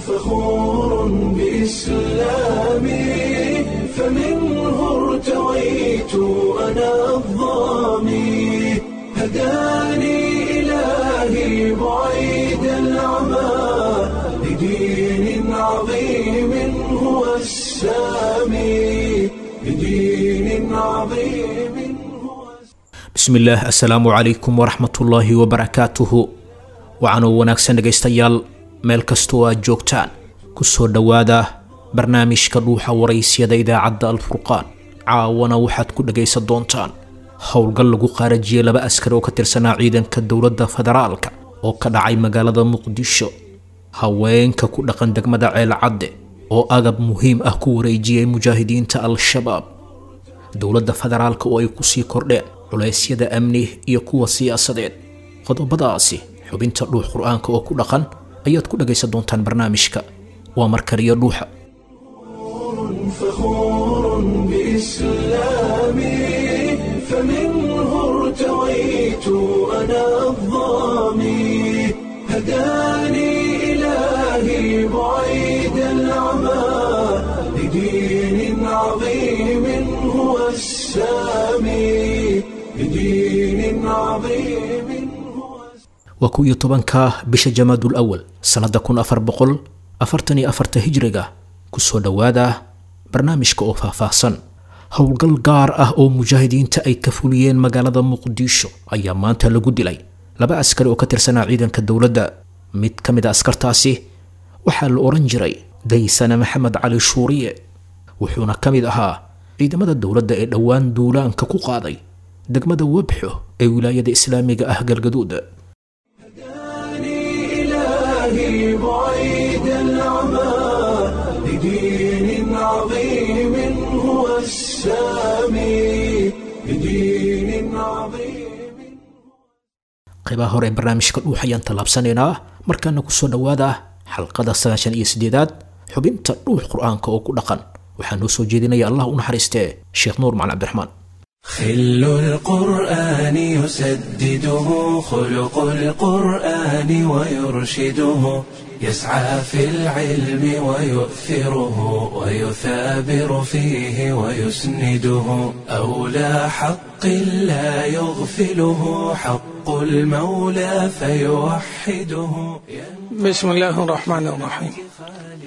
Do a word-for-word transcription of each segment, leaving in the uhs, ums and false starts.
فخور بإسلامي فمنه ارتويت أنا الظامي هداني إلهي بعيد العمى لدين عظيم هو السامي لدين عظيم هو Bismillaah, assalaamu calaykum waraxmatullaahi wabarakaatuhu. Waxaanoo wanaagsan dhegaystayaal meel kastoo aad joogtaan, kusoo dhowaada barnaamijka Dhuuxa Waraysyada idaacadda Alfurqaan. Caawana waxaad ku dhagaysan doontaan howlgal lagu qaarajiyey laba askari oo ka tirsanaa ciidanka dowladda federaalka oo ka dhacay magaalada Muqdisho, haweenka ku dhaqan degmada Ceelcadde oo agab muhiim ah ku wareejiyey mujaahidiinta Al-Shabaab, dowladda federaalka oo ay kusii kordheen culeysyada amni iyo kuwa siyaasadeed. Qodobadaasi, xubinta Dhuux Qur-aanka oo ku dhaqan ayaad ku dhagaysan doontaan barnaamijka. Waa markaliyo Dhuuxa. فخور بإسلامي فمنه ارتويت أنا الظامي هداني إلهي بعيد العمى لدين عظيم هو السامي لدين عظيم هو Waa kow iyo tobanka bisha Jamaadul Awal sannadda kun afar boqol afartan iyo afarta hijriga. Kusoo dhowaada barnaamijka oo faahfaahsan. Howlgal gaar ah oo mujaahidiinta ay ka fuliyeen magaalada Muqdisho ayaa maanta lagu dilay laba askari oo ka tirsanaa ciidanka dowladda. Mid ka mid a askartaasi waxaa la oran jiray Daysane Maxamed Cali Shuuriye, wuxuuna ka mid ahaa ciidamada dowladda ee dhowaan duulaanka ku qaaday degmada Webxo ee wilaayada islaamiga ah Galgaduud. هداني إلهي بعيد العمى لدين عظيم هو السامي لدين عظيم. Qaybaha hore ee barnaamijka Dhuux ayaan tallaabsanaynaa. Markaana kusoo dhowaada xalqada sagaashan iyo sideedaad xubinta Dhuux Qur-aanka oo ku dhaqan. Waxaa noo soo jeedinaya, Allah u naxariistee, Sheekh Nuur Macalin Cabdiraxmaan. خل القرآن يسدده خلق القرآن ويرشده، يسعى في العلم ويؤثره ويثابر فيه ويسنده، أولى حق لا يغفله حق المولى فيوحده. بسم الله الرحمن الرحيم،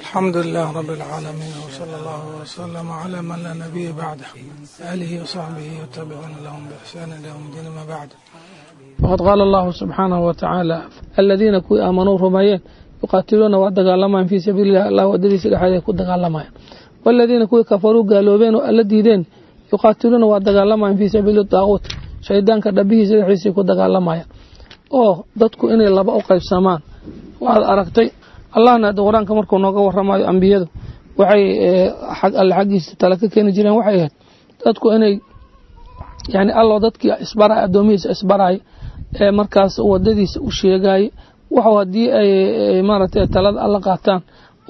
الحمد لله رب العالمين، وصلى الله وسلم على من لا نبي بعده، آله وصحبه والتابعون لهم بإحسان إلى يوم الدين، ما بعد، فقد قال الله سبحانه وتعالى: الذين kuwii آمنوا rumeeyeen يقاتلون waa dagaalamayaan في سبيل الله, Allah wadadiisa dhexdeeda ku dagaalamayaan. والذين kuwii كفروا gaaloobeen oo Alla diideen يقاتلون waa dagaalamayaan في سبيل الطاغوت, shaydaanka dhabihiisa dhexdiisa ku dagaalamayaan. Oo dadku inay laba u qaybsamaan waxaad aragtay. Allahna hadda Qur-aanka markuu nooga warramayo, ambiyadu waxay xag Alle xaggiisa tala ka keeni jireen waxay ahayd dadku inay yani Allo dadkii isbaraya, addoomihiisa isbaraya ee markaas wadadiisa u sheegaya, waxu haddii ay maaragtay talada Alla qaataan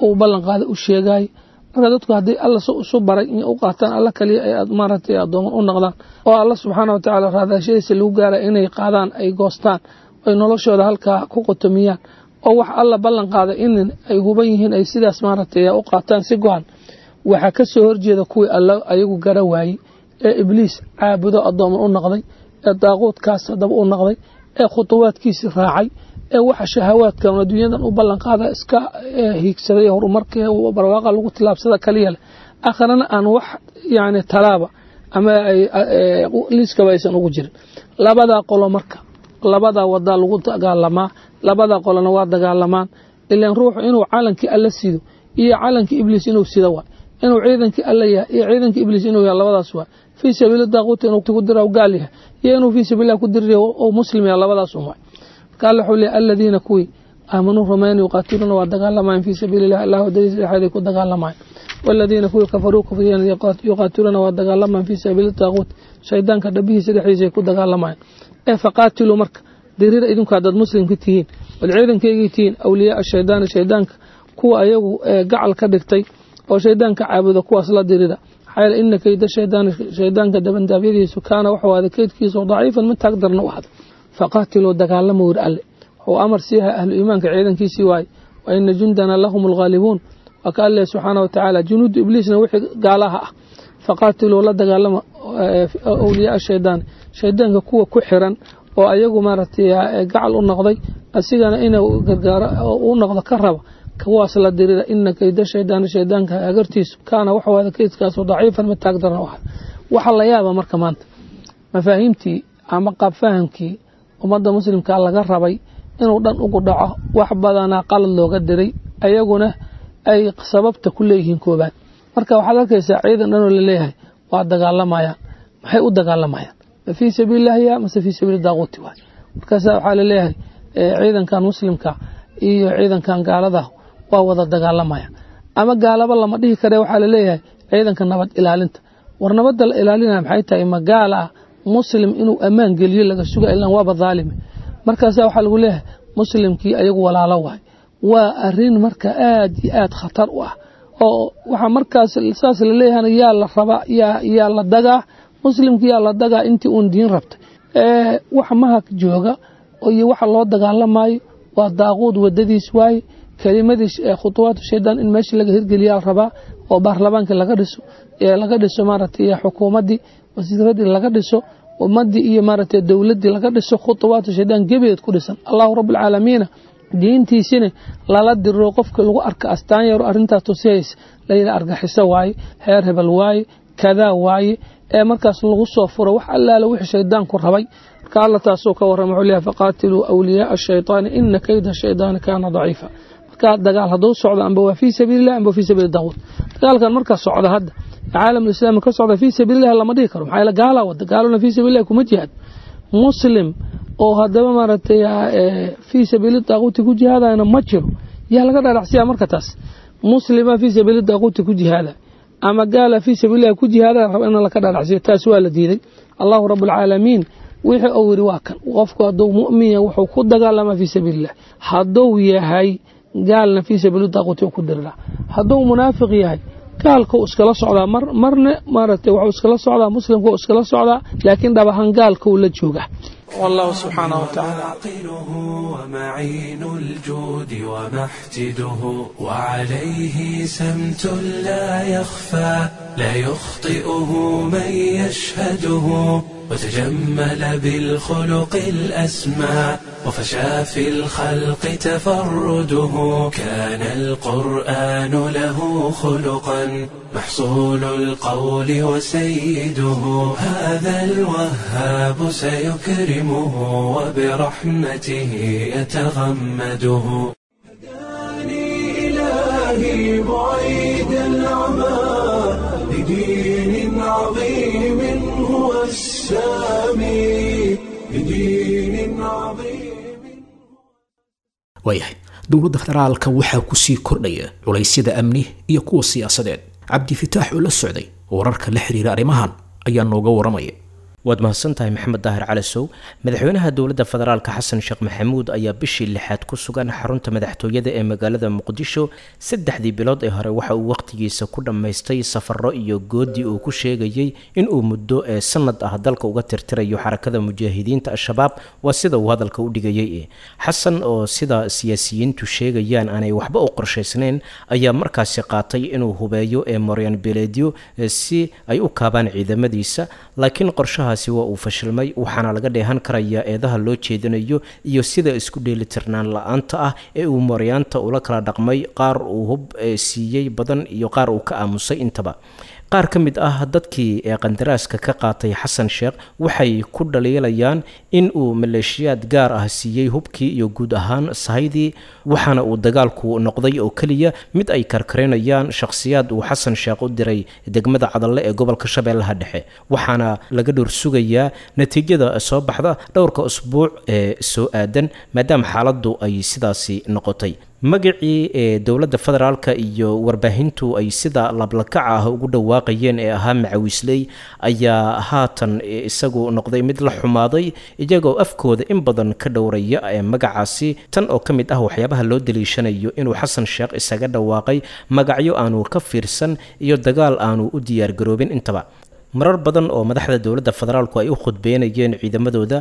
uu ballan qaada u sheegaya. Marka dadku haddii Alla isu baray inay u qaataan, Alla kaliya ay maaragtay addooman u noqdaan oo Alla subxaana wa tacaala raadashadiisa lagu gaara inay qaadaan, ay goostaan, ay noloshooda halkaa ku qotomiyaan, oo wax Alla ballan qaaday in ay huban yihiin ay sidaas maaragtay u qaataan si go-an. Waxaa ka soo horjeeda kuwii Alla ayagu gara waayey ee Ibliis caabudo, addooman u noqday, ee daaquudkaas haddaba u noqday, ee khutuwaadkiisi raacay, ee waxa shahawaadkan adduunyadan u ballan qaada iska hiigsaday, horumarka barwaaqa lagu tilaabsada kaliya leh, akhrana aan wax yani talaaba ama liiskaba aysan ugu jirin. Labadaa qolo marka labadaa wadaa lagu dagaalamaa, labadaa qolona waa dagaalamaan. Ilaan ruuxu inuu calankii Alla sido iyo calankii Ibliis inuu sido waay, inuu ciidankii Alla yahay iyo ciidankii Ibliis inuu yahay, labadaas waay. Fii sabiili daaquuti inuu ku dira gaal yahay iyo inuu fii sabiilillah ku diriyo oo muslim yahay, labadaas un waay. Marka Alla wuxuu leeyahay: الذين kuwii آمنوا rumeyn يقاتلون waa dagaalamayaan في سبيل الله, Allah wadadiisa dhexdeeda ku dagaalamayaan. والذين kuwii كفروا kufriyeen يقاتلون waa dagaalamayaan في سبيل الطاغوت, shaydaanka dhabihiisa dhexdiisa ku dagaalamayaan. Ee فقاتلوا, marka diriira idinku haddaad muslimka tihiin ood ciidankaygii tihiin, أولياء الشيطان, shaydaanka kuwa ayagu gacal ka dhigtay oo shaydaanka caabuda, kuwaas la dirida. Maxaa yeele إن كيد الشيطان, shaydaanka dabandaabyadiisu كان wuxuu ahaaday keydkiisu ضعيفا, mid taag darna u ahaaday. فقاتلوا, dagaalama wir Alle wuxuu amar siiha ahlu iimaanka ciidankiisii waaye. Wa ina jundana lahum alghaalibuun. Waa ka Alle subxaana wa tacaala junuudu ibliisna wixii gaalaha ah, faqaatiluu, la dagaalama, awliyaa shaydaan, shaydaanka kuwa ku xiran oo ayagu maaragtay gacal u noqday, asigana inuu gargaaro u noqdo ka raba, kuwaas la dirira. Ina kayda shaydaani, shaydaanka hagartiisu, kaana waxuu ahda kaydkaasu daciifan, mid taag daran u ah. Waxaa la yaaba marka maanta mafaahiimtii ama qaab fahamkii ummadda muslimka laga rabay inuu dhan ugu dhaco, wax badanaa qalad looga diray, ayaguna ay sababta ku leeyihiin koobaad. Marka waxaad arkaysaa ciidan dhanoo laleeyahay waa dagaalamayaan. Maxay u dagaalamayaan? Ma fii sabiilillahi ya mase fii sabiili daaquuti waay? Markaasa waxaa laleeyahay ciidankan muslimka iyo ciidankan gaalada waa wada dagaalamayaan, ama gaalaba lama dhihi kare, waxaa laleeyahay ciidanka nabad ilaalinta. War nabadda la ilaalinaya maxay tahay? Ma gaal ah muslim inuu ammaan geliyo laga suga? Ilan waaba dhaalime. Markaasa waxaa lagu leeyahay muslimkii ayagu walaalo waay. Waa arin marka aad iyo aad khatar u ah, oo waxaa markaas saas laleeyahana yaa la rabaa, yaa yaa la dagaa muslimkii, yaa la dagaa intii uun diin rabtay. Waxa mahak jooga iyo waxa loo dagaalamayo waa daaquud wadadiis waaye. Kelimadii khutuwaatu shaydaan in meesha laga hirgeliyaa rabaa, oo baarlamaankii laga dhiso, laga dhiso maaragtay xukuumaddii, wasiiradii laga dhiso, ummadii iyo maaragtay dowladdii laga dhiso, khutuwaatu shaydaan gebeed ku dhisan. Allahu rabbilcaalamiina diintiisina lala diro, qofka lagu arka astaan yaro arrintaas tusihaysa layidhi argaxiso waaye, heer hebel waaye, kadaa waaye, ee markaas lagu soo furo wax allaala wixii shaydaanku rabay. Marka Alla taasuu ka warrama, wuxuu leeyahay faqaatiluu awliyaaa ashaytaani ina kayda shaydaani kaana daciifa. Marka dagaal hadduu socdo, amba waa fii sabiilillah amba fii sabiili daaquut. Dagaalkan markaa socda hadda caalamul islaami ka socda fii sabiilillah lama dhihi karo, maxaa yeele gaalaa wada, gaaluna fii sabiilillah kuma jihaad. Muslim oo haddaba maaragtay fii sabiili daaquuti ku jihaadayna ma jiro. Yaa laga dhadhacsiyaa marka taas? Muslima fii sabiili daaquuti ku jihaada ama gaala fii sabiilillahi ku jihaada raba in laka dhadhacsiyo, taas waa la diiday. Allahu rabulcaalamiin wixii uu yidhi waa kan: qofku hadduu mu'min yahay wuxuu ku dagaalamaa fii sabiilillah, hadduu yahay gaalna fii sabiili daaquuti ku diriraa, hadduu munaafiq yahay gaalkuu iskala socdaa, mar marna maaragtay wuxuu iskala socdaa muslimkuu iskala socdaa, laakiin dhab ahaan gaalkuu la jooga. والله سبحانه وتعالى عاقله ومعين الجود ومحتده، وعليه سمت لا يخفى لا يخطئه من يشهده، وتجمل بالخلق الأسمى وفشى في الخلق تفرده. كان القرآن له خلقا محصول القول وسيده. هذا الوهاب سيكرمه وبرحمته يتغمده. هداني إلهي بعيد العمى لدين عظيم هو السامي، لدين عظيم. Waayahay, dowladda federaalka waxaa kusii kordhaya culaysyada amni iyo kuwa siyaasadeed. Cabdifitaax oo la socday wararka la xiriira arrimahan ayaa nooga waramaya. Waad mahadsantahay Maxamed Daahir Calasow. Madaxweynaha dowladda federaalka Xasan Sheekh Maxamuud ayaa bishii lixaad ku sugan xarunta madaxtooyada ee magaalada Muqdisho. Saddexdii bilood ee hore waxa uu wakhtigiisa ku dhammaystay safaro iyo goodi uu ku sheegayey inuu muddo ee sanad ah dalka uga tirtirayo Xarakada Mujaahidiinta Al-Shabaab, waa sida uu hadalka u dhigayay. Xasan oo sida siyaasiyiintu sheegayaan aanay waxba u qorshaysnayn ayaa markaasi qaatay inuu hubeeyo ee Moryan Beledyo si ay u kaabaan ciidamadiisa, laakiin qorshaha waa uu fashilmay. Waxaana laga dheehan karayaa eedaha loo jeedinayo iyo sida isku dheelitirnaan la-aanta ah ee uu mooryaanta ula kala dhaqmay, qaar uu hub siiyey badan iyo qaar uu ka aamusay intaba. Qaar ka mid ah dadkii ee qandaraaska ka qaatay Xasan Sheekh waxay ku dhaliilayaan in uu maleeshiyaad gaar ah siiyey hubkii iyo guud ahaan sahaydii, waxaana uu dagaalku noqday oo keliya mid ay karkarinayaan shakhsiyaad uu Xasan Sheekh u diray degmada Cadalle ee gobolka Shabeellaha Dhexe. Waxaana laga dhowr sugayaa natiijada soo baxda dhowrka usbuuc ee soo aadan, maadaama xaaladdu ay sidaasi noqotay. Magacii ee dowladda federaalka iyo warbaahintu ay sida lablakaca ah ugu dhawaaqayeen ee ahaa macawisley ayaa haatan isagu noqday mid la xumaaday, iyagoo afkooda in badan ka dhowraya ee magacaasi. Tan oo ka mid ah waxyaabaha loo daliishanayo inuu Xasan Sheekh isaga dhawaaqay magacyo aanu ka fiirsan iyo dagaal aanu u diyaargaroobin intaba. Marar badan oo madaxda dowladda federaalku ay u khudbeynayeen ciidamadooda,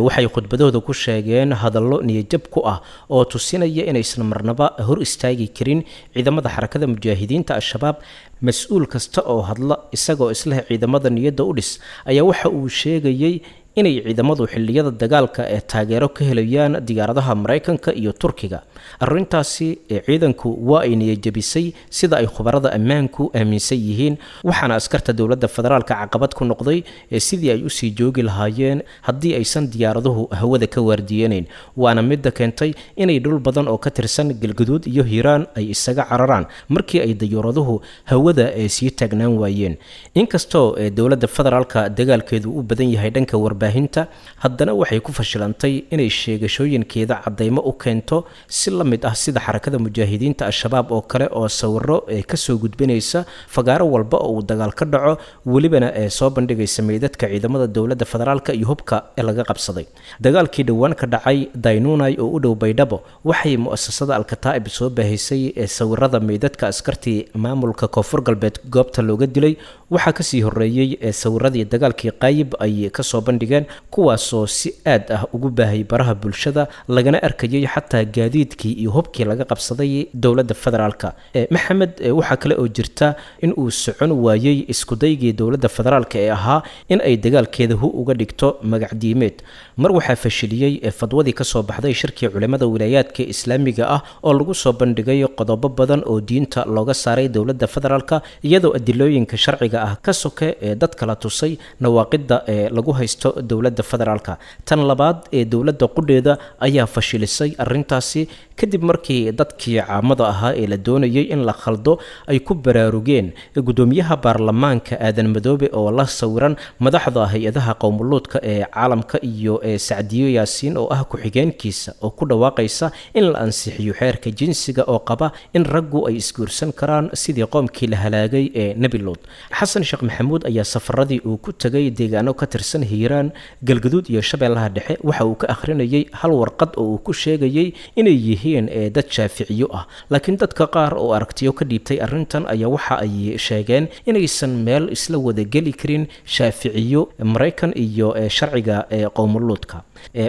waxay khudbadooda ku sheegeen hadallo niyajab ku ah oo tusinaya inaysan marnaba hor istaagi karin ciidamada Xarakada Mujaahidiinta Al-Shabaab. Mas-uul kasta oo hadla isagoo isleh ciidamada niyadda u dhis ayaa waxa uu sheegayey inay ciidamadu xilliyada dagaalka ee taageero ka helayaan diyaaradaha Maraykanka iyo Turkiga. Arrintaasi ciidanku waa ay niyajabisay, sida ay khubarada ammaanku aaminsan yihiin, waxaana askarta dowladda federaalka caqabad ku noqday sidii ay usii joogi lahaayeen haddii aysan diyaaraduhu hawada ka waardiyanayn, waana midda keentay inay dhul badan oo ka tirsan Galguduud iyo Hiiraan ay isaga cararaan markii ay dayuuraduhu hawada sii taagnaan waayeen. Inkastoo dowladda federaalka dagaalkeedu u badan yahay dhanka warbaahinta, haddana waxay ku fashilantay inay sheegashooyinkeeda caddaymo u keento, si la mid ah sida Xarakada Mujaahidiinta Al-Shabaab oo kale oo sawiro kasoo gudbinaysa fagaaro walba oo uu dagaal ka dhaco, welibana ee soo bandhigaysa meydadka ciidamada dowladda federaalka iyo hubka ee laga qabsaday. Dagaalkii dhowaan ka dhacay Daynunay oo u dhow Baydhabo, waxay mu'asasada Alkataa'ib soo baahisay sawirada meydadka askartii maamulka Koonfur Galbeed goobta looga dilay. Waxaa kasii horeeyey sawiradii dagaalkii Qaayib ay kasoo bandhigeen, kuwaasoo si aad ah ugu baahayay baraha bulshada, lagana arkayay xataa gaadiidkii iyo hubkii laga qabsaday dowladda federaalka. Maxamed, waxaa kale oo jirta in uu socon waayey iskudaygii dowladda federaalka ee ahaa in ay dagaalkeeda hu uga dhigto magacdiimeed. Mar waxaa fashiliyey fadwadii kasoo baxday shirkii culimada wilaayaadka islaamiga ah oo lagu soo bandhigay qodobo badan oo diinta looga saaray dowladda federaalka, iyadoo adilooyinka sharciga ah ka soke ee dadka la tusay nawaaqida ee lagu haysto dowladda federaalka. Tan labaad ee dowladda qudheeda ayaa fashilisay arrintaasi kadib markii dadkii caamada ahaa ee la doonayay in la khaldo ay ku baraarugeen guddoomiyaha baarlamaanka Aadan Madoobe oo la sawiran madaxda hay-adaha qowmuluudka ee caalamka iyo ee Sacdiyo Yaasiin oo ah ku-xigeenkiisa oo ku dhawaaqaysa in la ansixiyo xeerka jinsiga oo qaba in raggu ay isguursan karaan sidii qoomkii la halaagay ee Nebi Luud. Xasan Sheekh Maxamuud ayaa safaradii uu ku tegay deegaano ka tirsan Hiiraan, Galgaduud iyo Shabeellaha Dhexe waxa uu ka akhrinayay hal warqad oo uu ku sheegayay inay yihiin dad shaaficiyo ah, laakiin dadka qaar oo aragtiyo ka dhiibtay arrintan ayaa waxa ay sheegeen inaysan meel isla wada geli karin shaaficiyo Maraykan iyo sharciga qowmuluudka.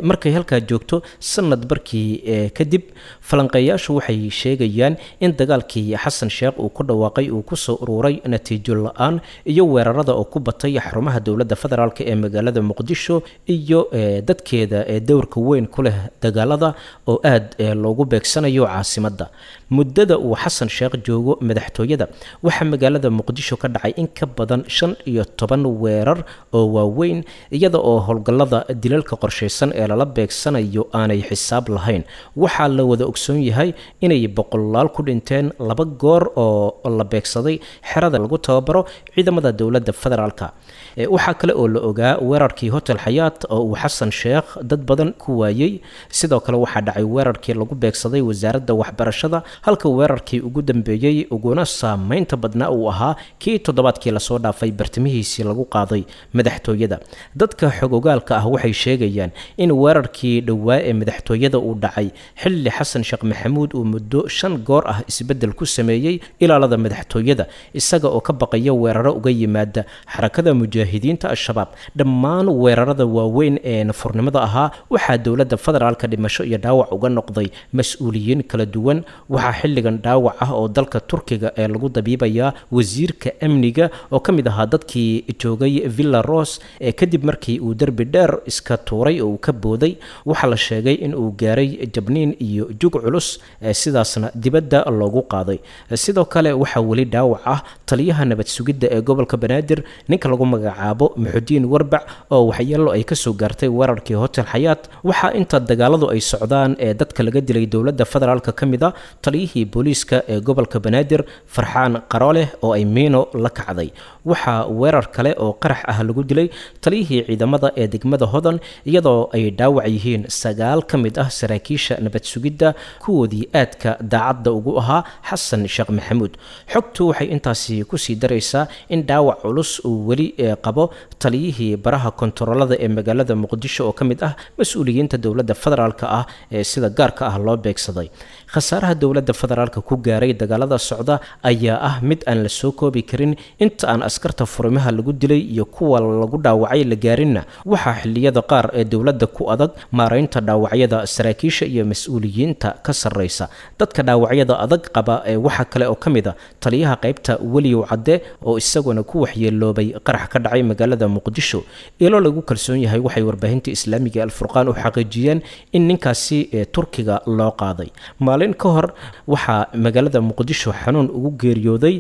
Markay halkaa joogto sanad barkii kadib, falanqeeyaashu waxay sheegayaan in dagaalkii Xasan Sheekh uu ku dhawaaqay uu kusoo ururay natiijo la-aan iyo weerarada oo ku batay xarumaha dowladda federaalk ee magaalada Muqdisho iyo dadkeeda ee dowrka weyn ku leh dagaalada oo aad loogu beegsanayo caasimadda. Muddada uu Xasan Sheekh joogo madaxtooyada, waxaa magaalada Muqdisho ka dhacay in ka badan shan iyo toban weerar oo waaweyn, iyada oo howlgallada dilalka qorshaysan ee lala beegsanayo aanay xisaab lahayn. Waxaa la wada ogsoon yahay inay boqolaal ku dhinteen laba goor oo la beegsaday xerada lagu tababaro ciidamada dowladda federaalka. Waxaa kale oo la ogaa weerarkii Hotel Xayaat oo uu Xasan Sheekh dad badan ku waayey. Sidoo kale waxaa dhacay weerarkii lagu beegsaday wasaaradda waxbarashada, halka weerarkii ugu dambeeyey uguna saameynta badnaa uu ahaa kii toddobaadkii lasoo dhaafay bartamihiisii lagu qaaday madaxtooyada. Dadka xogogaalka ah waxay sheegayaan in weerarkii dhowaa ee madaxtooyada uu dhacay xilli Xasan Sheekh Maxamuud uu muddo shan goor ah isbeddel ku sameeyey ilaalada madaxtooyada, isaga oo ka baqaya weeraro uga yimaada Xarakada Mujaahidiinta Al-Shabaab. Dhammaan weerarada waaweyn ee nafurnimada ahaa waxaa dowladda federaalka dhimasho iyo dhaawac uga noqday mas-uuliyiin kala duwan. Waxaa xilligan dhaawac ah oo dalka Turkiga ee lagu dabiibayaa wasiirka amniga oo ka mid ahaa dadkii joogay Villa Rose ee kadib markii uu derbi dheer iska tuuray oo uu ka booday. Waxaa la sheegay in uu gaaray jabniin iyo jug culus, sidaasna dibadda loogu qaaday. Sidoo kale waxaa weli dhaawac ah taliyaha nabad sugidda ee gobolka Banaadir, ninka lagu magacaabo Muxudiin Warbac, oo waxyeelo ay kasoo gaartay weerarkii Hotel Xayaat. Waxaa inta dagaaladu ay socdaan ee dadka laga dilay dowladda federaalka ka mid a taliyihii booliiska ee gobolka Banaadir Farxaan Qarooleh oo ay miino la kacday. Waxaa weerar kale oo qarax ah lagu dilay taliyihii ciidamada ee degmada Hodan, iyadoo ay dhaawac yihiin sagaal ka mid ah saraakiisha nabad sugidda kuwoodii aadka daacadda ugu ahaa Xasan Sheekh Maxamuud. Xogtu waxay intaasi kusii daraysaa in dhaawac culus uu weli qabo taliyihii baraha kontaroolada ee magaalada Muqdisho oo ka mid ah mas-uuliyiinta dowladda federaalka ah ee sida gaarka ah loo beegsaday. Khasaaraha dowladda federaalka ku gaaray dagaalada socda ayaa ah mid aan la soo koobi karin. Inta aan askarta furimaha lagu dilay iyo kuwa lagu dhaawacay la gaarinna, waxaa xilliyada qaar ee dowladda ku adag maaraynta dhaawacyada saraakiisha iyo mas-uuliyiinta ka sarreysa. Dadka dhaawacyada adag qaba ee waxaa kale oo ka mid a taliyaha qaybta Weliyow Cadde oo isaguna ku waxyeeloobay qarax ka dhacay magaalada Muqdisho. Ilo lagu kalsoon yahay waxay warbaahinta islaamiga Alfurqaan u xaqiijiyeen in ninkaasi ee Turkiga loo qaaday. Maalin ka hor waxaa magaalada Muqdisho xanuun ugu geeriyooday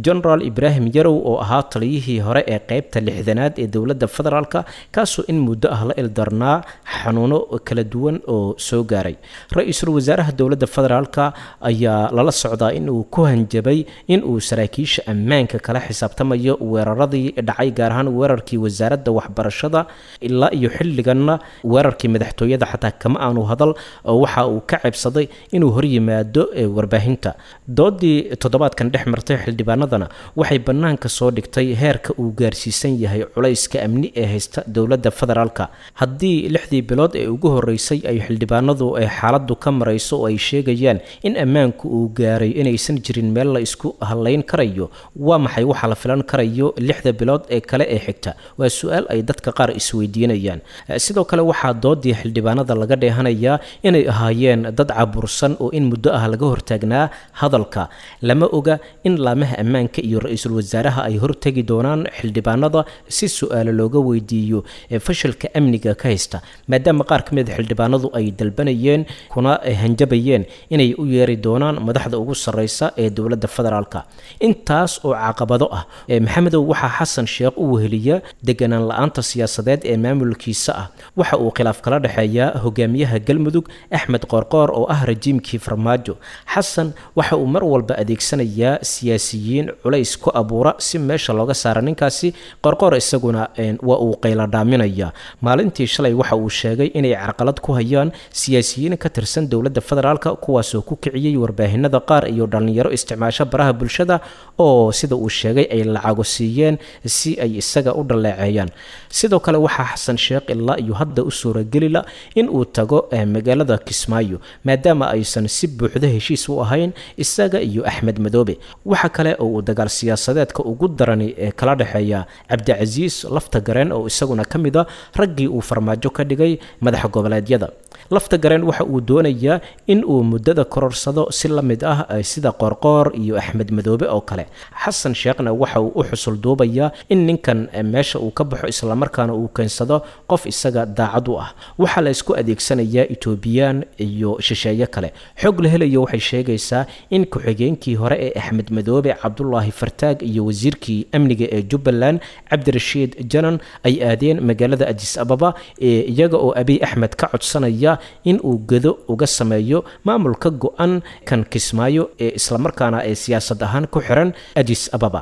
Generaal Ibraahim Yarow oo ahaa taliyihii hore ee qaybta lixdanaad ee dowladda federaalka, kaasoo in muddo ah la ildarnaa xanuuno kala duwan oo soo gaaray. Ra-iisul wasaaraha dowladda federaalka ayaa lala socdaa in uu ku hanjabay in uu saraakiisha ammaanka kala xisaabtamayo weeraradii dhacay, gaar ahaan weerarkii wasaaradda waxbarashada. Ilaa iyo xilliganna weerarkii madaxtooyada xataa kama aanu hadal, oo waxa uu ka ceebsaday inuu horyimaado warbaahinta. Doodii toddobaadkan dhex martay xildhibaanadana waxay bannaanka soo dhigtay heerka uu gaarsiisan yahay culayska amni ee haysta dowladda federaalka. Haddii lixdii bilood ee ugu horreysay ay xildhibaanadu ay xaaladdu ka marayso oo ay sheegayaan in ammaanku uu gaaray inaysan jirin meel la isku hallayn karayo, waa maxay waxa la filan karayo lixda bilood ee kale ee xigta? Waa su-aal ay dadka qaar isweydiinayaan. Sidoo kale waxaa doodii xildhibaanada laga dheehanayaa inay ahaayeen dad cabursan oo in muddo ah laga hortaagnaa hadalka. Lama oga in laamaha ammaanka iyo ra-iisul wasaaraha ay hortegi doonaan xildhibaanada si su-aalo looga weydiiyo ee fashilka amniga ka haysta, maadaama qaar ka mid a xildhibaanadu ay dalbanayeen kuna hanjabayeen inay u yeeri doonaan madaxda ugu sarreysa ee dowladda federaalka. Intaas oo caqabado ah, Maxamedow, waxaa Xasan Sheekh u weheliya deganaan la-aanta siyaasadeed ee maamulkiisa ah. Waxa uu khilaaf kala dhexeeyaa hogaamiyaha Galmudug Axmed Qoorqoor oo ah rajiimkii Farmaajo. Xasan waxa uu mar walba adeegsanayaa siyaasiyiin culays ku abuura si meesha looga saara ninkaasi. Qoorqoor isaguna waa uu qayladhaaminaya. Maalintii shalay waxa uu sheegay inay carqalad ku hayaan siyaasiyiin ka tirsan dowladda federaalka, kuwaasoo ku kiciyey warbaahinada qaar iyo dhallinyaro isticmaasho baraha bulshada oo sida uu sheegay ay lacago siiyeen si ay isaga u dhaleeceeyaan. Sidoo kale waxaa Xasan Sheekh ilaa iyo hadda u suuragelila in uu tago magaalada Kismaayo, maadaama aysan si buuxda heshiis u ahayn isaga iyo Axmed Madoobe. Waxa kale oo uu dagaal siyaasadeedka ugu darani ee kala dhexeeya Cabdicasiis Lafta Gareen oo isaguna ka mid a raggii uu Farmaajo ka dhigay madaxa goboleedyada. Lafta Gareen waxa uu doonayaa in uu muddada kororsado si la mid ah sida Qoorqoor iyo Axmed Madoobe oo kale. Xasan Sheekhna waxa uu u xusul duubayaa in ninkan meesha uu ka baxo, islamarkaana uu keensado qof isaga daacad u ah. Waxaa la isku adeegsanayaa Etoobiyaan iyo shisheeye kale. Xog la helayo waxay sheegaysaa in ku-xigeenkii hore ee Axmed Madoobe Cabdulaahi Fartaag iyo wasiirkii amniga ee Jubbaland Cabdirashiid Janan ay aadeen magaalada Adis Ababa ee iyaga oo Abiy Axmed ka codsanaya in uu gedo uga sameeyo maamulka go-an kan Kismaayo ee islamarkaana ee siyaasad ahaan ku xiran Adis Ababa.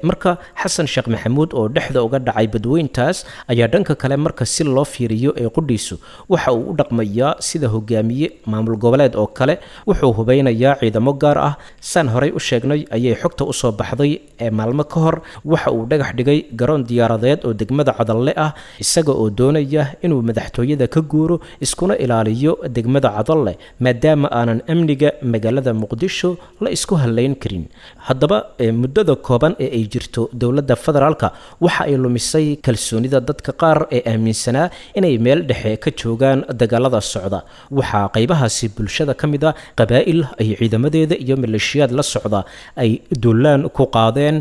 Marka Xasan Sheekh Maxamuud oo dhexda uga dhacay badweyntaas ayaa dhanka kale marka si loo fiiriyo ee qudhiisu waxa uu u dhaqmayaa sida hogaamiye maamul goboleed oo kale. Wuxuu hubeynayaa ciidamo gaar ah, saan horey u sheegnay ayay xogta usoo baxday ee maalmo ka hor waxa uu dhagax dhigay garoon diyaaradeed oo degmada Cadalle ah, isaga oo doonaya inuu madaxtooyada ka guuro iskuna ilaaliyo degmada Cadalle, maadaama aanan amniga magaalada Muqdisho la isku hallayn karin. Haddaba muddada kooban ee ay jirto dowladda federaalka waxa ay lumisay kalsoonida dadka qaar ee aaminsanaa inay meel dhexe ka joogaan dagaalada socda. Waxaa qaybahaasi bulshada ka mid a qabaa'il ay ciidamadeeda iyo maleeshiyaad la socda ay duulaan ku qaadeen,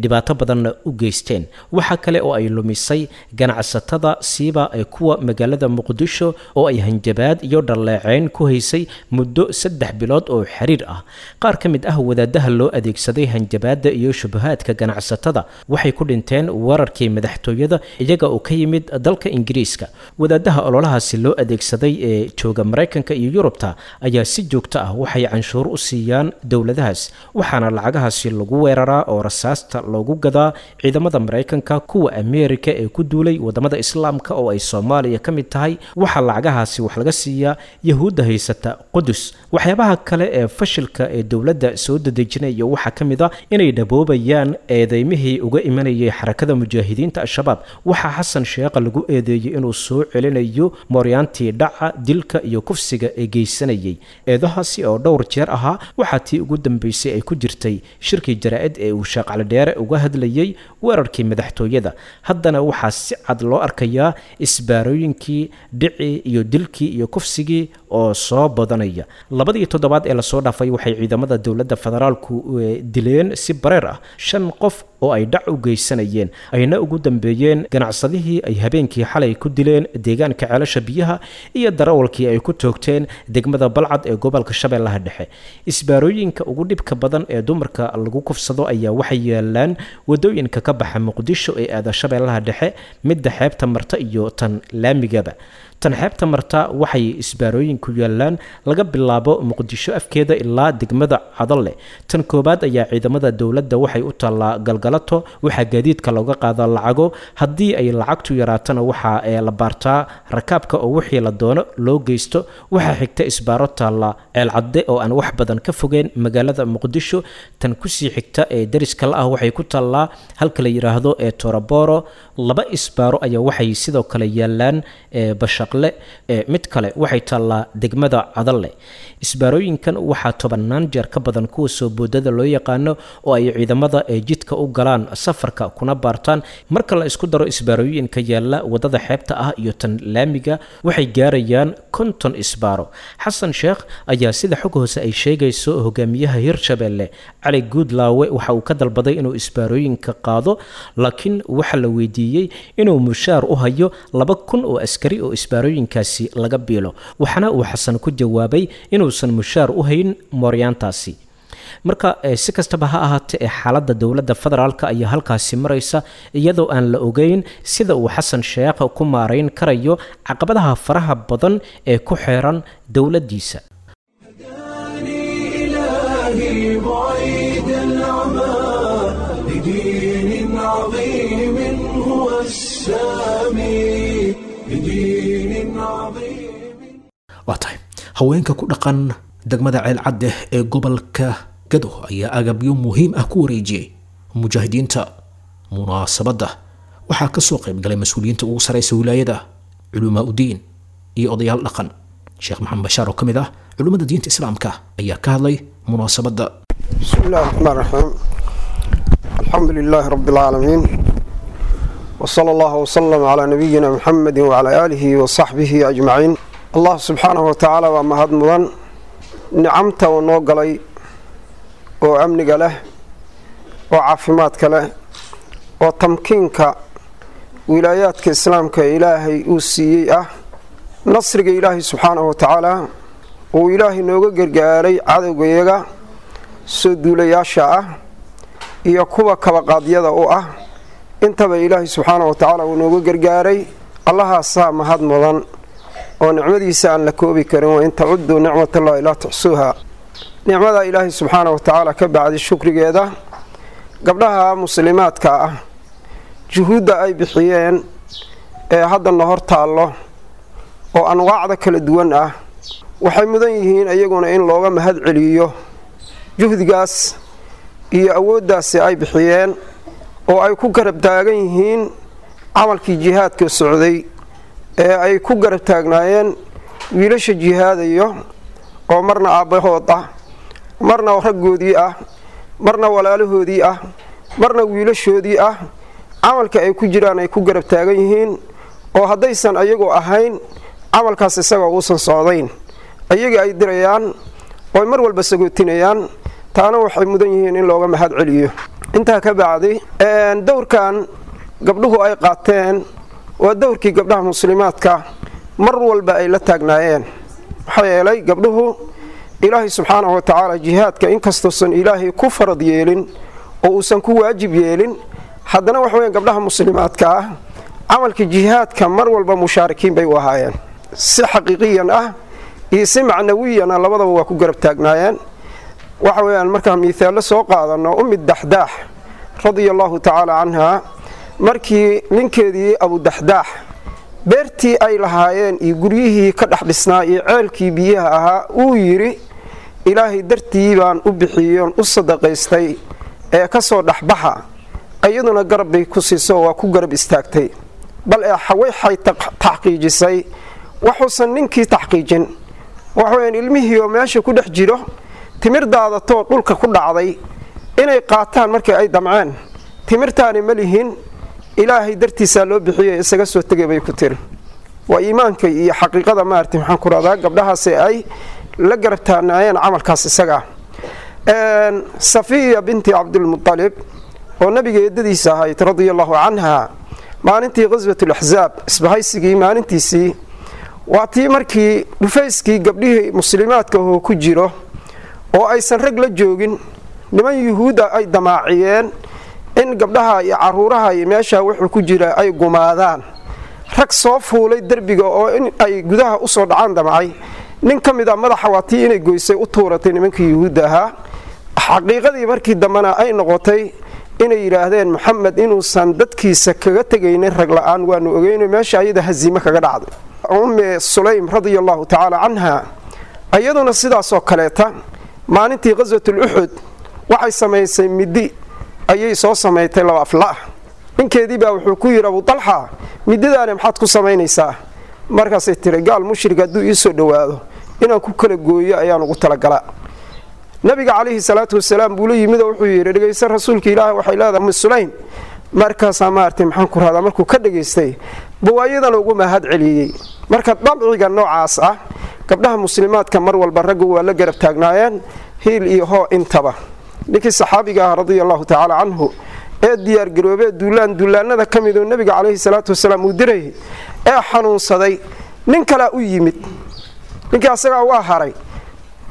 dhibaato badanna u geysteen. Waxa kale oo ay lumisay ganacsatada, siiba ee kuwa magaalada Muqdisho oo ay hanjabaad iyo dhaleeceyn ku haysay muddo saddex bilood oo xiriir ah. Qaar ka mid ah wadaadaha loo adeegsaday hanjabaadda iyo shubahaadka ganacsatada waxay ku dhinteen weerarkii madaxtooyada iyaga oo ka yimid dalka Ingiriiska. Wadaadaha ololahaasi loo adeegsaday ee jooga Maraykanka iyo Yurubta ayaa si joogto ah waxay canshuur u siiyaan dowladahaas, waxaana lacagahaasi lagu weeraraa oo rasaasta loogu gadaa ciidamada Maraykanka, kuwa Ameerika ee ku duulay wadamada Islaamka oo ay Soomaaliya ka mid tahay. Waxaa lacagahaasi wax laga laga siiyaa Yahuudda haysata Qudus. Waxyaabaha kale ee fashilka ee dowladda soo dadejinaya waxaa ka mid a inay dhaboobayaan eedeymihii uga imanayay Xarakada Mujaahidiinta Al-Shabaab. Waxaa Xasan Sheekh lagu eedeeyey inuu soo celinayo mooryaantii dhaca, dilka iyo kufsiga ee geysanayay. Eedahaasi oo dhowr jeer ahaa waxaa tii ugu dambeysay ay ku jirtay shirkii jaraa'id ee uu Sheekh Cali Dheere uga hadlayay weerarkii madaxtooyada. Haddana waxaa si cad loo arkayaa isbaarooyinkii, dhicii iyo dilkii iyo kufsigii oo soo badanaya. Labadii toddobaad ee lasoo dhaafay waxay ciidamada dowladda federaalku dileen si bareer ah shan qof oo ay dhac u geysanayeen, ayna ugu dambeeyeen ganacsadihii ay habeenkii xalay ku dileen deegaanka Ceelasha Biyaha iyo darawalkii ay ku toogteen degmada Balcad ee gobolka Shabeellaha Dhexe. Isbaarooyinka ugu dhibka badan ee dumarka lagu kufsado ayaa waxay yaalaan wadooyinka ka baxa Muqdisho ee aada Shabeellaha Dhexe, midda xeebta marta iyo tan laamigaba. Tan xeebta marta waxay isbaarooyinku yaalaan laga bilaabo Muqdisho afkeeda ilaa degmada Cadalle. Tan koobaad ayaa ciidamada dowladda waxay u taallaa Galgalato, waxaa gaadiidka looga qaadaa lacago, haddii ay lacagtu yaraatana waxaa la baartaa rakaabka oo wixii la doono loo geysto. Waxaa xigta isbaaro taalla Ceelcadde oo aan wax badan ka fogeen magaalada Muqdisho. Tan kusii xigta ee dariska la ah waxay ku taallaa halka la yidhaahdo ee Toroboro. Laba isbaaro ayaa waxay sidoo kale yaalaan ee Bashaqle, mid kale waxay taallaa degmada Cadalle. Isbaarooyinkan waxaa tobannaan jeer ka badan kuwa soo boodada loo yaqaano oo ay ciidamada ee jidka u galaan safarka kuna baartaan. Marka la isku daro isbaarooyinka yaalla wadada xeebta ah iyo tan laamiga waxay gaarayaan konton isbaaro. Xasan Sheekh ayaa sida xog hoose ay sheegayso hogaamiyaha Hirshabelle Cali Guudlaawe waxa uu ka dalbaday inuu isbaarooyinka qaado, laakiin waxa la weydiiyey inuu mushaar u hayo laba kun oo askari oo isbaarooyinkaasi laga biilo, waxaana uu Xasan ku jawaabay inuusan mushaar u hayn mooryaantaasi. Marka si kastaba ha ahaatee ee xaaladda dowladda federaalka ayaa halkaasi maraysa, iyadoo aan la ogeyn sida uu Xasan Sheekh ku maarayn karayo caqabadaha faraha badan ee ku xeeran dowladdiisa. إلهي بعيد العمى لدين عظيم هو السامي لدين عظيم. Waa tahay, haweenka ku dhaqan degmada Ceelcadde ee gobolka Gado ayaa agabyo muhiim ah ku wareejiyey mujaahidiinta. Munaasabadda waxaa ka soo qayb galay mas-uuliyiinta ugu sareysa wilaayada, culumaa udiin iyo odayaal dhaqan. Sheekh Maxamed Bashaar oo ka mid ah culimmada diinta islaamka ayaa ka hadlay munaasabadda. بسم الله الرحمن الرحيم، الحمد لله رب العالمين، وصلى الله وسلم على نبينا محمد وعلى آله وصحبه أجمعين. الله سبحانه وتعالى ومهد مدن نعمته ونوغلي وأمنك له وعافماتك له وتمكينك ولاياتك إسلامك إلهي أوسيئة نصرك إلهي سبحانه وتعالى وإلهي نوغا قرقاري عدوغيغا soo duulayaasha ah iyo kuwa kabaqaadyada u ah intaba Ilaahay subxaanahu wa tacaala uu nooga gargaaray. Allahaasaa mahad mudan oo nicmadiisa aan la koobi karin. Wa in tacuduu nicmatallahi laa tuxsuuha. Nicmada Ilaahay subxaanahu wa tacaala ka bacdi shukrigeeda gabdhaha muslimaadka ah juhuudda ay bixiyeen ee haddana hor taallo oo anwaacda kala duwan ah waxay mudan yihiin iyaguna in looga mahad celiyo juhdigaas iyo awooddaasi ay bixiyeen oo ay ku garab taagan yihiin camalkii jihaadka socday ee ay ku garab taagnaayeen wiilasha jihaadayo oo marna aabbahood ah, marna raggoodii ah, marna walaalahoodii ah, marna wiilashoodii ah, camalka ay ku jiraan ay ku garab taagan yihiin oo haddaysan ayagoo ahayn camalkaas isagoo uusan socdayn ayaga ay dirayaan oo mar walba sagootinayaan. Taana waxay mudan yihiin in looga mahad celiyo. Intaa ka bacdi, dowrkan gabdhuhu ay qaateen waa dowrkii gabdhaha muslimaadka mar walba ay la taagnaayeen. Maxaa yeelay gabdhuhu Ilaahay subxaanahu wa tacaala jihaadka inkastuusan Ilaahay ku farad yeelin oo uusan ku waajib yeelin, haddana waxa weeyaan gabdhaha muslimaadka ah camalka jihaadka mar walba mushaarikiin bay u ahaayeen, si xaqiiqiyan ah iyo si macnawiyan ah labadaba waa ku garab taagnaayeen. Waxa weeyaan markaan miithaallo soo qaadano, Ummi Daxdaax radia allahu tacaala canha markii ninkeedii Abu Daxdaax Beertii ay lahaayeen iyo guryihii ka dhex dhisnaa iyo ceelkii biyaha ahaa uu yidhi Ilaahay dartii baan u bixiyoon u sadaqaystay ee ka soo dhexbaxa, iyaduna garab bay ku siiso, waa ku garab istaagtay. Bal ee waxay taxqiijisay waxuusan ninkii taxqiijin. Waxaweyaan ilmihii oo meesha ku dhex jiro timir daadatoo dhulka ku dhacday inay qaataan markii ay damceen, timirtaani ma lihin, Ilaahay dartiisaa loo bixiyay, isaga soo tegay bay ku tiri. Waa iimaanka iyo xaqiiqada maaragtay maxaan ku rahdaa gabdhahaasi ay la garab taagnaayeen camalkaas isaga. Safiya binti Cabdilmutalib oo nabiga eedadiisa ahayd radia allahu canha, maalintii qaswatul axzaab isbahaysigii maalintiisii, waa tii markii dhufayskii gabdhihii muslimaadka oo ku jiro oo aysan rag la joogin, niman yuhuudda ay damaaciyeen in gabdhaha iyo caruuraha iyo meesha wuxuu ku jira ay gumaadaan. Rag soo fuulay derbiga oo in ay gudaha usoo dhacaan damcay, nin ka mid a madaxa waa tii inay goysay u tuuratay nimankii yuhuudda ahaa. Xaqiiqadii markii dambena ay noqotay inay yidhaahdeen Maxamed inuusan dadkiisa kaga tegaynin rag la-aan waanu ogeyno, meesha ayada haziime kaga dhacday. Ummi Sulaym radia allahu tacaala canha iyaduna sidaasoo kaleeta maalintii qaswatul Uxud waxay samaysay midi ayay soo samaysay laba afla ah. Ninkeedii baa wuxuu ku yidhi Abu Talxa, mididaani maxaad ku samaynaysaa? Markaasay tiri gaal mushrik hadduu ii soo dhowaado inaan ku kala gooyo ayaan ugu talagalaa. Nabiga calayhi salaatu wasalaam buu la yimid oo wuxuu yidhi dhegaysta rasuulka Ilaahay, waxay leedahay Ummi Sulaym. Markaasaa maaragtay maxaan ku rahdaa markuu ka dhegaystay bawaayadana ugu mahad celiyey. Marka dabciga noocaas ah gabdhaha muslimaadka mar walba raggu waa la garab taagnaayeen hiil iyo hoo intaba. Ninkii saxaabiga ah radia allahu tacaala canhu ee diyaargaroobee duulaan duulaanada ka mid oo nabiga calayhi salaatu wasalaam uu dirayay ee xanuunsaday, nin kalea u yimid. Ninkii asagaa waa haray,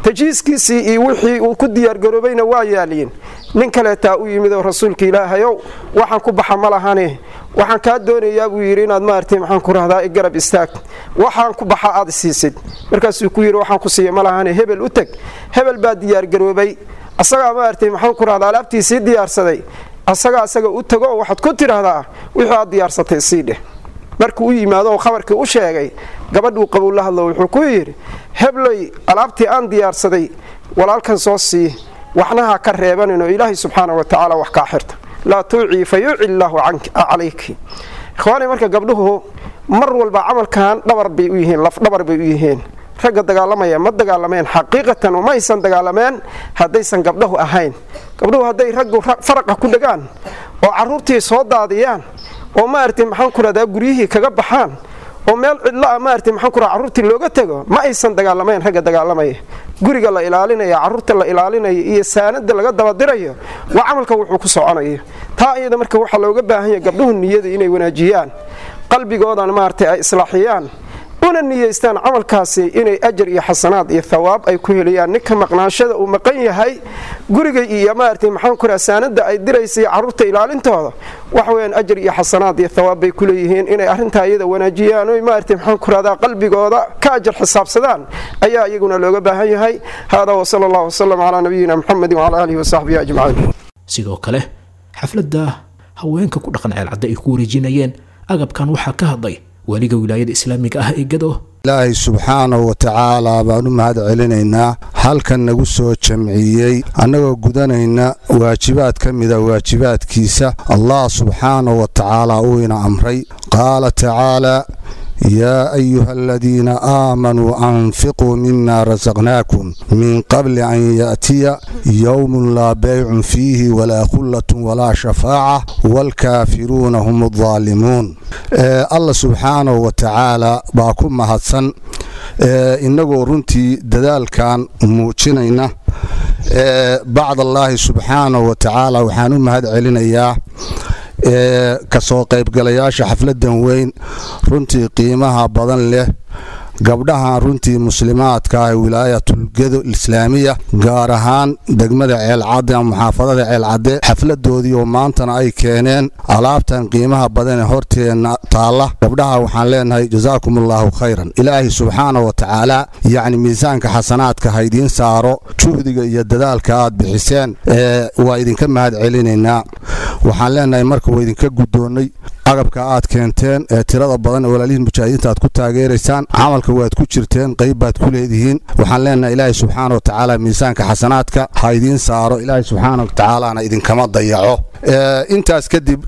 tajiiskiisii iyo wixii uu ku diyaargaroobayna waa yaaliyin. Nin kaleetaa u yimid oo rasuulka Ilaahayow waxaan ku baxa ma lahane, waxaan kaa doonayaa buu yidhi inaad maaragtay maxaan ku rahdaa i garab istaag, waxaan ku baxa aad siisid. Markaasuu ku yidhi waxaan ku siiya ma lahane, hebel u teg. Hebel baa diyaargaroobay, asagaa maaragtay maxaan ku rahdaa alaabtiisii diyaarsaday, asagaa asaga u tago oo waxaad ku tidhaahdaa wixii aad diyaarsatay sii dheh. Markuu u yimaado oo khabarkii u sheegay, gabadhuu qabow la hadlo wuxuu ku yidhi hebley alaabtii aan diyaarsaday walaalkan soo sii, waxna ha ka reebanin oo Ilaahay subxaana wa tacaala wax kaa xirta, laa tuucii fa yuuci illaahu calayki. Ikhwaani, marka gabdhuhu mar walba camalkan dhabar bay u yihiin, laf dhabar bay u yihiin. Ragga dagaalamaya ma dagaalameen xaqiiqatan, uma aysan dagaalameen haddaysan gabdhahu ahayn. Gabdhuhu hadday raggu faraqa ku dhagaan oo caruurtii soo daadiyaan oo maaragtay maxaan ku rahdaa guryihii kaga baxaan oo meel cidlo ah maaragtay maxaan ku rahdaa caruurtii looga tago, ma aysan dagaalamayn ragga dagaalamaya. Guriga la ilaalinaya, caruurta la ilaalinaya iyo saanada laga dabadirayo waa camalka wuxuu ku soconayo. Taa iyada marka waxaa looga baahan yahay gabdhuhu niyada inay wanaajiyaan, qalbigoodana maaragtay ay islaaxiyaan, una niyeystaan camalkaasi inay ajar iyo xasanaad iyo thawaab ay ku helayaan. Ninka maqnaanshada uu maqan yahay guriga iyo maaragtay maxaan ku rahaa saanada ay diraysay caruurta ilaalintooda, waxa weeyaan ajar iyo xasanaad iyo thawaab bay ku leeyihiin. Inay arrintaa iyada wanaajiyaan oo maaragtay maxaan ku rahdaa qalbigooda ka ajar xisaabsadaan ayaa iyaguna looga baahan yahay. Hada wa sala allahu wasalam calaa nabiyina Muxamed wacala aalihi wasaxbihi ajmaciin. Sidoo kale xafladda haweenka ku dhaqan Ceelcadde ay ku wareejinayeen agabkan waxaa ka hadlay waliga wilaayada islaamiga ah ee Gado. Ilaahay subxaanahu wa tacaalaa baan u mahad celinaynaa halkan nagu soo jamciyey annagoo gudanayna waajibaad ka mida waajibaadkiisa Allah subxaanahu wa tacaalaa uu ina amray. Qaala tacaalaa yaa ayuha aladiina aamanuu anfiquu mima rasaqnaakum min qabli an ya'tiya yowmun laa baycun fiihi walaa khullatun walaa shafaaca waalkaafiruuna hum addaalimuun. Alla subxaanahu wa tacaalaa baa ku mahadsan innagoo runtii dadaalkan muujinayna. Bacd allaahi subxaanahu wa tacaala waxaan u mahad celinayaa kasoo qaybgalayaasha xafladan weyn runtii qiimaha badan leh, gabdhahan runtii muslimaadka ah ee wilaayatul Gedo Islaamiya, gaar ahaan degmada Ceelcadde ama muxaafadada Ceelcadde, xafladoodii oo maantana ay keeneen alaabtan qiimaha badan ee horteenna taalla. Gabdhaha waxaan leenahay jasaakum allaahu khayran. Ilaahay subxaana wa tacaala yacni miisaanka xasanaadka ha idiin saaro juhdiga iyo dadaalka aad bixiseen, waa idinka mahad celinaynaa. Waxaan leenahay marka waa idinka guddoonnay agabka aad keenteen ee tirada badan ee walaalihiin mujaahidiinta aad ku taageeraysaan. Camalka waad ku jirteen, qayb baad ku leedihiin. Waxaan leenahay Ilaahay subxaana wa tacaala miisaanka xasanaadka ha idiin saaro, Ilaahay subxaana wa tacaalana idinkama dayaco. Intaas kadib,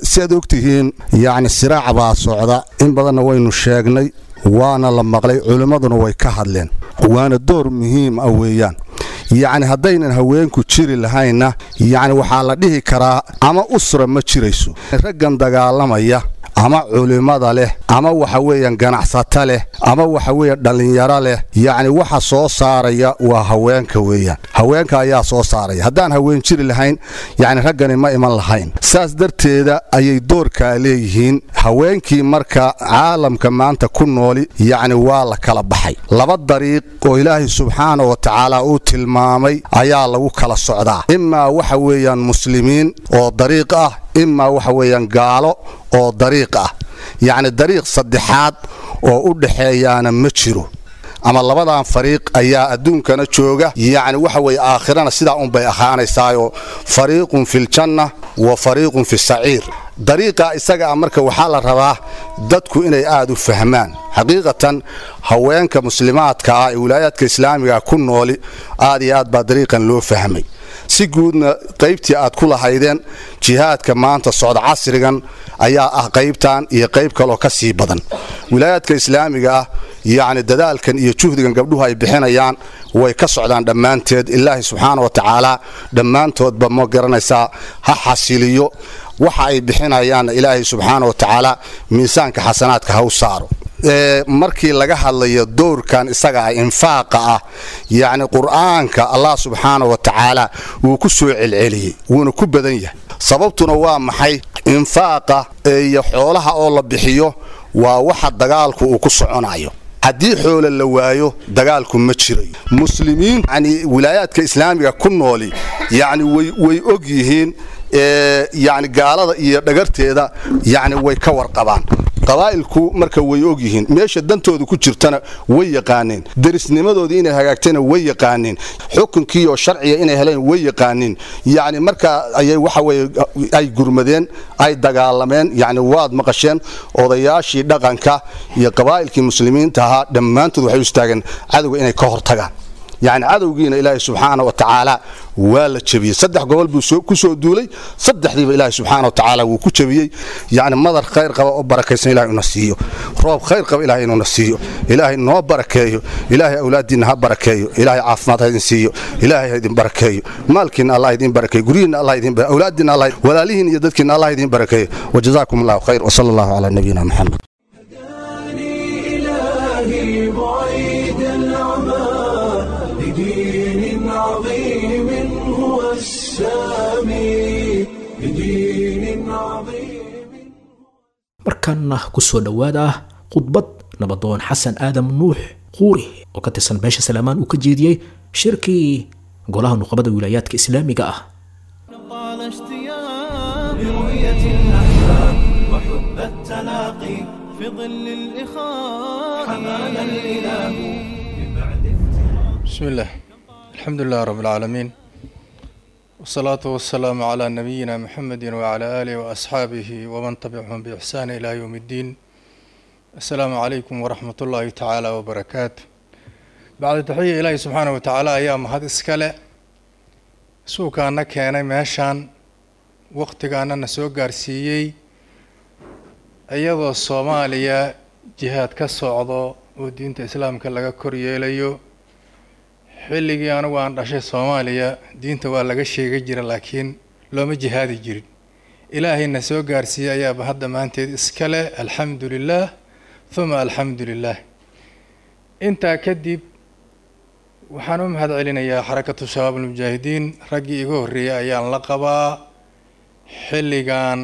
si aad ogtihiin, yacni siraac baa socda, in badanna waynu sheegnay, waana la maqlay, culimmaduna way ka hadleen, waana door muhiim ah weeyaan. Yacni haddaynan haweenku jiri lahaynna, yacni waxaa la dhihi karaa ama usra ma jirayso. Raggan dagaalamaya ama culimmada leh ama waxa weeyaan ganacsata leh ama waxa weeyaan dhallinyaro leh, yacni waxa soo saaraya waa haweenka weeyaan. Haweenka ayaa soo saaraya. Haddaan haween jiri lahayn, yacni raggani ma iman lahayn. Saas darteeda ayay doorkaa leeyihiin haweenkii. Marka caalamka maanta ku nooli, yacni waa la kala baxay. Laba dariiq oo Ilaahay subxaana wa tacaala uu tilmaamay ayaa lagu kala socdaa: imaa waxa weeyaan muslimiin oo dariiq ah, imaa waxa weeyaan gaalo oo dariiq ah. Yacni dariiq saddexaad oo u dhaxeeyaana ma jiro. Ama labadan fariiq ayaa adduunkana jooga, yacni waxa weeye aakhirana sidaa unbay ahaanaysaayoo fariiqun filjanna wa fariiqun fi saciir. Dariiqa isaga ah marka waxaa la rabaa dadku inay aad u fahmaan. Xaqiiqatan haweenka muslimaadka ah ee wilaayaadka islaamiga ku nooli aad iyo aad baa dariiqan loo fahmay. Si guudna qaybtii aad ku lahaydeen jihaadka maanta socda casrigan ayaa ah qaybtan iyo qayb kaloo ka sii badan. Wilaayaadka islaamiga ah, yacni dadaalkan iyo juhdigan gabdhuhu ay bixinayaan way ka socdaan dhammaanteed. Ilaahay subxaana wa tacaala dhammaantoodba ma garanaysaa ha xasiliyo waxa ay bixinayaanna, Ilaahay subxaana wa tacaala miisaanka xasanaadka ha u saaro. Markii laga hadlayo doorkan isaga ah, infaaqa ah, yacni Qur'aanka Allah subxaana wa tacaala wuu ku soo celceliyey, wuuna ku badan yahay. Sababtuna waa maxay? Infaaqa iyo xoolaha oo la bixiyo waa waxa dagaalku uu ku soconayo. Haddii xoolo la waayo, dagaalku ma jirayo. Muslimiin yani wilaayaadka islaamiga ku nooli yacni way way og yihiin, yacni gaalada iyo dhagarteeda, yacni way ka warqabaan. Qabaa'ilku marka way og yihiin meesha dantooda ku jirtana, way yaqaaneen derisnimadoodii inay hagaagtayna, way yaqaaneen xukunkii oo sharciga inay heleen, way yaqaaneen. Yacni markaa ayay waxa weye ay gurmadeen, ay dagaalameen. Yacni waad maqasheen odayaashii dhaqanka iyo qabaa'ilkii muslimiinta ahaa dhammaantood waxay u istaageen cadowga inay ka hortagaan. Yacni cadowgiina Ilaahay subxaana wa tacaala waa la jebiyey. Saddex gobol buu ku soo duulay, saddexdiiba Ilaahay subxaana wa tacaala wuu ku jebiyey. Yacni madar khayr qaba oo barakaysan Ilahay una siiyo, roob khayr qaba Ilahay inuuna siiyo, Ilaahay noo barakeeyo, Ilaahay awlaaddiinna ha barakeeyo, Ilaahay caafimaad ha idin siiyo, Ilaahay ha idin barakeeyo, maalkiinna Allah idin barakeeyo, guryihiinna Allah idin, awlaaddiinna Allah, walaalihiin iyo dadkiinna Allah idin barakeeyo. Wajazaakum Allahu khayr, wasala Allahu calaa nabiyina Maxamed. إلهي بعيد العمى لدين عظيم هو السامي، لدين عظيم. Markaana ku soo dhowaada khudbad nabadoon Xasan Aadam Nuux Quuri oo ka tirsan beesha Salaamaan uu ka jeediyey shirkii golaha nuqabada wilaayaadka islaamiga ah. طال اشتياق لرؤية الأحباب وحب التلاقي في ظل الإخاء، حمانا الإله من بعد. بسم الله، الحمد لله رب العالمين، والصلاة والسلام على نبينا محمد وعلى آله وأصحابه ومن تبعهم بإحسان إلى يوم الدين. السلام عليكم ورحمة الله تعالى وبركاته. بعد تحية، إلهي سبحانه وتعالى ayaa mahad iska leh suukaana keenay meeshaan, waqtigaana na soo gaarsiiyey, iyadoo Soomaaliya jihaad ka socdo oo diinta islaamka laga kor yeelayo. Xilligii anigu aan dhashay Soomaaliya diinta waa laga sheegi jira, laakiin looma jihaadi jirin. Ilaahayna soo gaarsiiyey ayaaba hadda maanteed iska leh. Alxamdu lilah uma alxamdu lilah. Intaa kadib, waxaan u mahad celinayaa Xarakatu Shabaab Almujaahidiin. Raggii iga horreeyay ayaan la qabaa, xilligan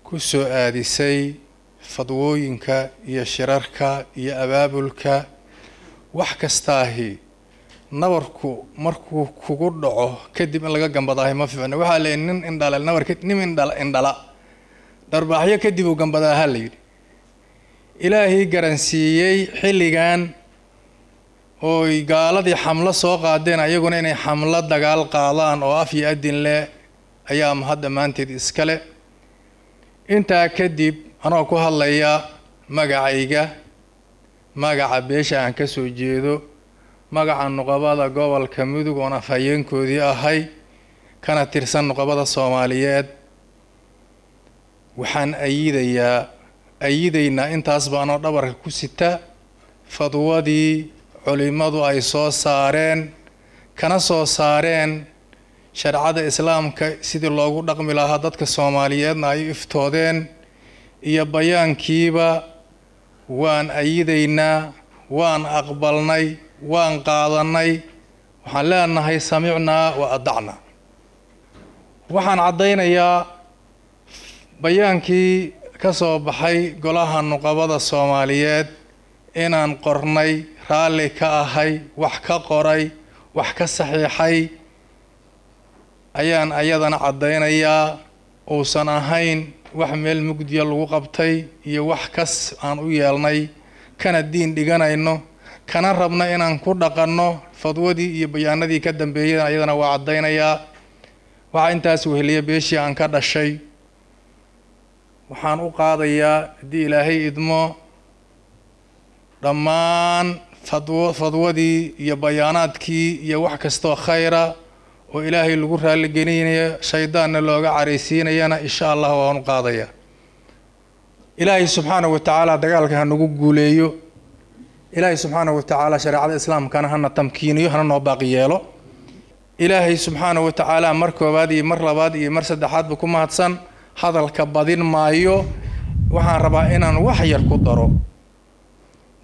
ku soo aadisay fadwooyinka iyo shirarka iyo abaabulka. Wax kastaahi nabarku markuu kugu dhaco kadib in laga gambadaahi ma fiicno. Waxaa la nin indhala nabarka, nin indhala indhala dharbaaxyo kadib uu gambadaaha la yidhi. Ilaahii garansiiyey xilligan ooy gaaladii xamlo soo qaadeen, ayaguna inay xamlo dagaal qaadaan oo af iyo adin leh ayaa mahad dhammaanteed iskale. Intaa kadib anoo ku hadlaya magacayga, magaca beesha aan ka soo jeedo, magaca nuqabada gobolka Mudug oon afhayeenkoodii ahay kana tirsan nuqabada Soomaaliyeed, waxaan ayidayaa ayidaynaa intaas baanoo dhabarka ku sita fadwadii culimadu ay soo saareen kana soo saareen shareecada islaamka sidii loogu dhaqmi lahaa dadka Soomaaliyeedna ay iftoodeen iyo bayaankiiba waan ayidaynaa, waan aqbalnay, waan qaadanay. Waxaan leenahay samicnaa wa adacnaa. Waxaan caddaynayaa bayaankii ka soo baxay golaha nuqabada Soomaaliyeed inaan qornay, raalli ka ahay, wax ka qoray, wax ka saxiixay ayaan ayadana caddaynayaa. Uusan ahayn wax meel mugdiya lagu qabtay iyo wax kas aan u yeelnay, kana diin dhiganayno, kana rabna inaan ku dhaqanno fadwadii iyo bayaanadii ka dambeeyay ayadana waa caddaynayaa. Waxaa intaas weheliya beeshii aan ka dhashay. Waxaan u qaadayaa haddii Ilaahay idmo dhammaan fadwo fadwadii iyo bayaanaadkii iyo wax kastoo khayra oo Ilaahay lagu raaligelinayo shaydaanna looga caraysiinayana insha Allah waan u qaadayaa. Ilaahay subxaanahu wa tacaala dagaalka ha nagu guuleeyo. Ilaahay subxaanahu wa tacaala shareecada islaamkana hana tamkiiniyo, hana noo baaqi yeelo. Ilaahay subxaanahu wa tacaala mar koowaad iyo mar labaad iyo mar saddexaadba ku mahadsan. Hadalka badin maayo, waxaan rabaa inaan wax yar ku daro.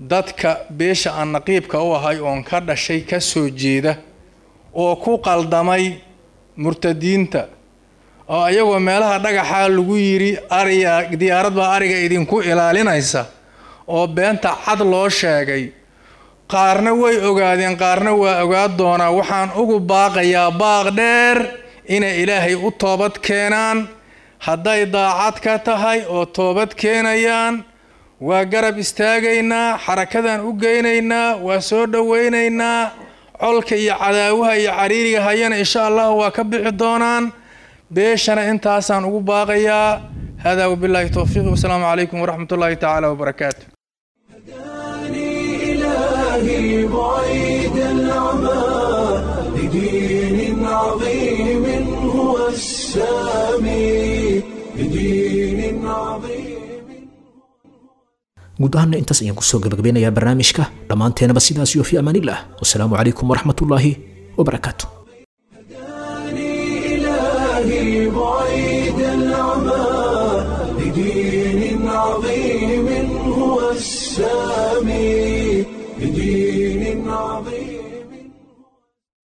Dadka beesha aan naqiibka u ahay oon ka dhashay ka soo jeeda oo ku qaldamay murtadiinta oo ayagoo meelaha dhagaxa lagu yiri ariga diyaarad baa ariga idinku ilaalinaysa oo beenta cad loo sheegay, qaarna way ogaadeen, qaarna waa ogaa doonaa. Waxaan ugu baaqayaa baaq dheer inay Ilaahay u toobad keenaan. Hadday daacad ka tahay oo toobad keenayaan waa garab istaagaynaa, xarakadan u geynaynaa, waa soo dhaweynaynaa. Colka iyo cadaawaha iyo cariiriga hayana insha Allah waa ka bixi doonaan. Beeshana intaasaan ugu baaqayaa. Hada wabillahi tawfiiq, wasalaamu calaykum waraxmatullaahi tacaala wabarakaatu. إلهي بعيد العمى لدين عظيم هو السامي، لدين عظيم. Guud ahaanna intaas ayaan kusoo gabagabeynayaa barnaamijka. Dhammaanteenaba sidaas iyo fi amaanillah, wasalaamu calaykum waraxmatullaahi wabarakaatu. إلهي بعيد العمى لدين عظيم هو السامي، لدين عظيم.